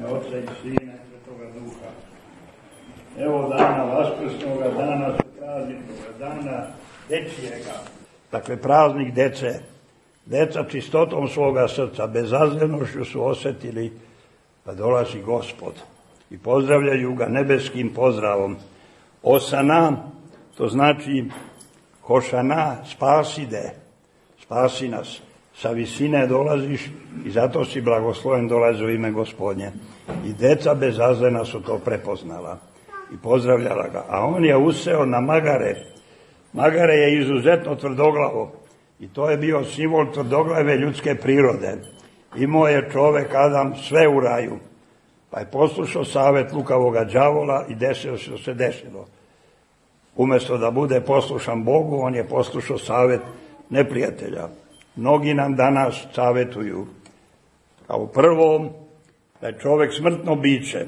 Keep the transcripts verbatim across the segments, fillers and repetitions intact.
ime Oca i Sina i Svetoga Duha. Evo dana Vaskrsnoga, dana prazničnoga, dana dečijega. Dakle, praznik dece. Deca čistotom svoga srca, bezazlenošću su osjetili da dolazi Gospod i pozdravljaju ga nebeskim pozdravom. Osana, to znači Hošana, spaside, spasi nas. Sa visine dolaziš i zato si blagosloven, dolazi u ime Gospodnje. I deca bezazlena su to prepoznala i pozdravljala ga. A on je useo na magare. Magare je izuzetno tvrdoglavo i to je bio simbol tvrdoglave ljudske prirode. Imao je čovek Adam sve u raju, pa je poslušao savet lukavoga đavola i desilo se što se desilo. Umesto da bude poslušan Bogu, on je poslušao savet neprijatelja. Mnogi nam danas savetuju, kao prvo, da je čovek smrtno biće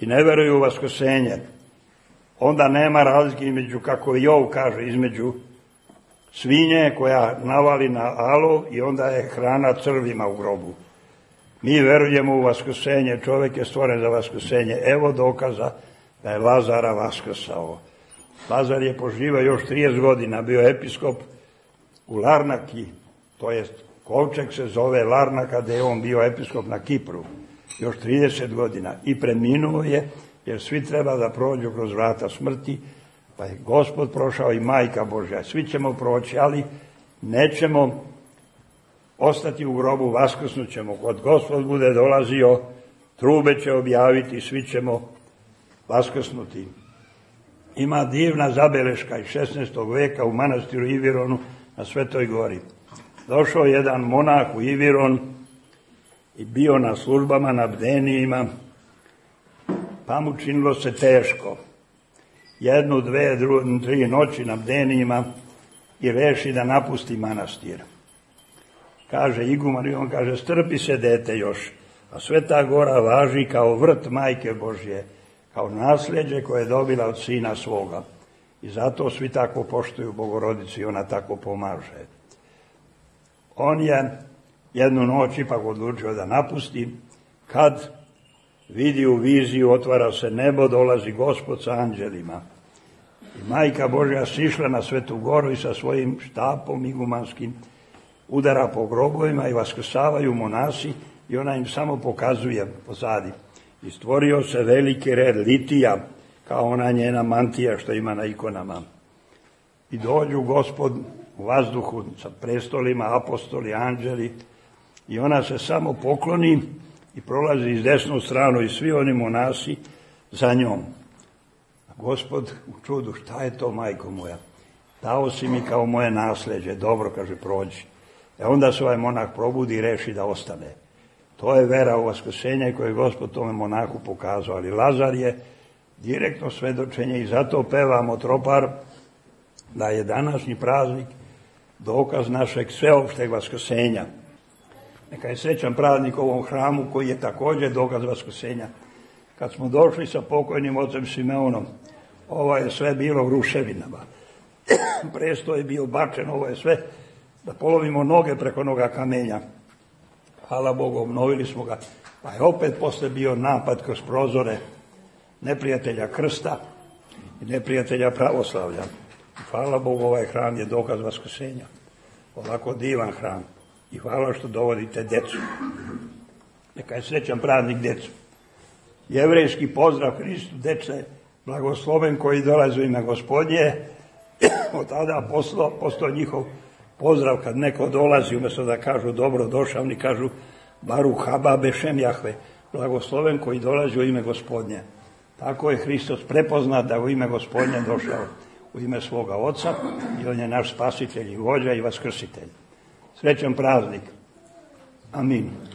i ne veruju u vaskrsenje. Onda nema razlike između, kako Jov kaže, između svinje koja navali na alo i onda je hrana crvima u grobu. Mi verujemo u vaskrsenje, čovek je stvoren za vaskrsenje. Evo dokaza da je Lazara vaskrsao. Lazar je poživao još trideset godina, bio episkop u Larnaki, to jest kovčeg se zove Larnaka, gde je on bio episkop na Kipru, još trideset godina i preminuo je, jer svi treba da prođu kroz vrata smrti, pa je Gospod prošao i Majka Božja. Svi ćemo proći, ali nećemo ostati u grobu, vaskrsnut ćemo. Kod Gospod bude dolazio, trube će objaviti, svi ćemo vaskrsnuti. Ima divna zabeleška iz šesnaestog veka u manastiru Ivironu na Svetoj gori. Došao jedan monah u Iviron i bio na službama, na bdenijima, pa mu činilo se teško. Jednu, dve, dru, tri noći na bdenijima i reši da napusti manastir. Kaže iguman i on kaže, strpi se dete još, a Sveta gora važi kao vrt Majke Božje, kao nasljeđe koje je dobila od sina svoga. I zato svi tako poštuju Bogorodicu i ona tako pomaže. On je jednu noć ipak odlučio da napusti, kad vidi u viziju, otvara se nebo, dolazi Gospod sa anđelima. I Majka Božja sišla na Svetu goru i sa svojim štapom igumanskim udara po grobovima i vaskrsavaju monasi i ona im samo pokazuje pozadi. I stvorio se veliki red litija, kao ona njena mantija što ima na ikonama. I dođu Gospod u vazduhu sa prestolima, apostoli, anđeli, i ona se samo pokloni i prolazi iz desnu stranu i svi oni monasi za njom. A Gospod u čudu, šta je to, majko moja? Dao si mi kao moje nasleđe, dobro, kaže, prođi. E onda se ovaj monah probudi i reši da ostane. To je vera u vaskrsenje koje je Gospod tome monahu pokazao, ali Lazar je direktno svedočenje i zato pevamo tropar da je današnji praznik dokaz našeg sveopšteg vaskrsenja. Neka je srećan praznik ovom hramu koji je također dokaz vaskrsenja. Kad smo došli sa pokojnim ocem Simeonom, ovo je sve bilo u ruševinama. Presto je bio bačen, ovo je sve da polovimo noge preko noga kamenja. Hvala Bogu, obnovili smo ga, pa je opet posle bio napad kroz prozore neprijatelja krsta i neprijatelja pravoslavlja. Hvala Bogu, ovaj hram je dokaz vaskrsenja. Ovako divan hram. I hvala što dovodite decu. Neka je srećan praznik decu. Jevrejski pozdrav Hristu, dece, blagosloven koji dolazi u ime Gospodnje. Od tada postao njihov pozdrav kad neko dolazi, umjesto da kažu dobro došao, oni kažu Baruch haba bešem Jahve, blagosloven koji dolazi u ime Gospodnje. Tako je Hristos prepoznat da u ime Gospodnje došao, u ime svoga Oca, i on je naš spasitelj i vođa i vaskrsitelj. Srećan praznik. Amin.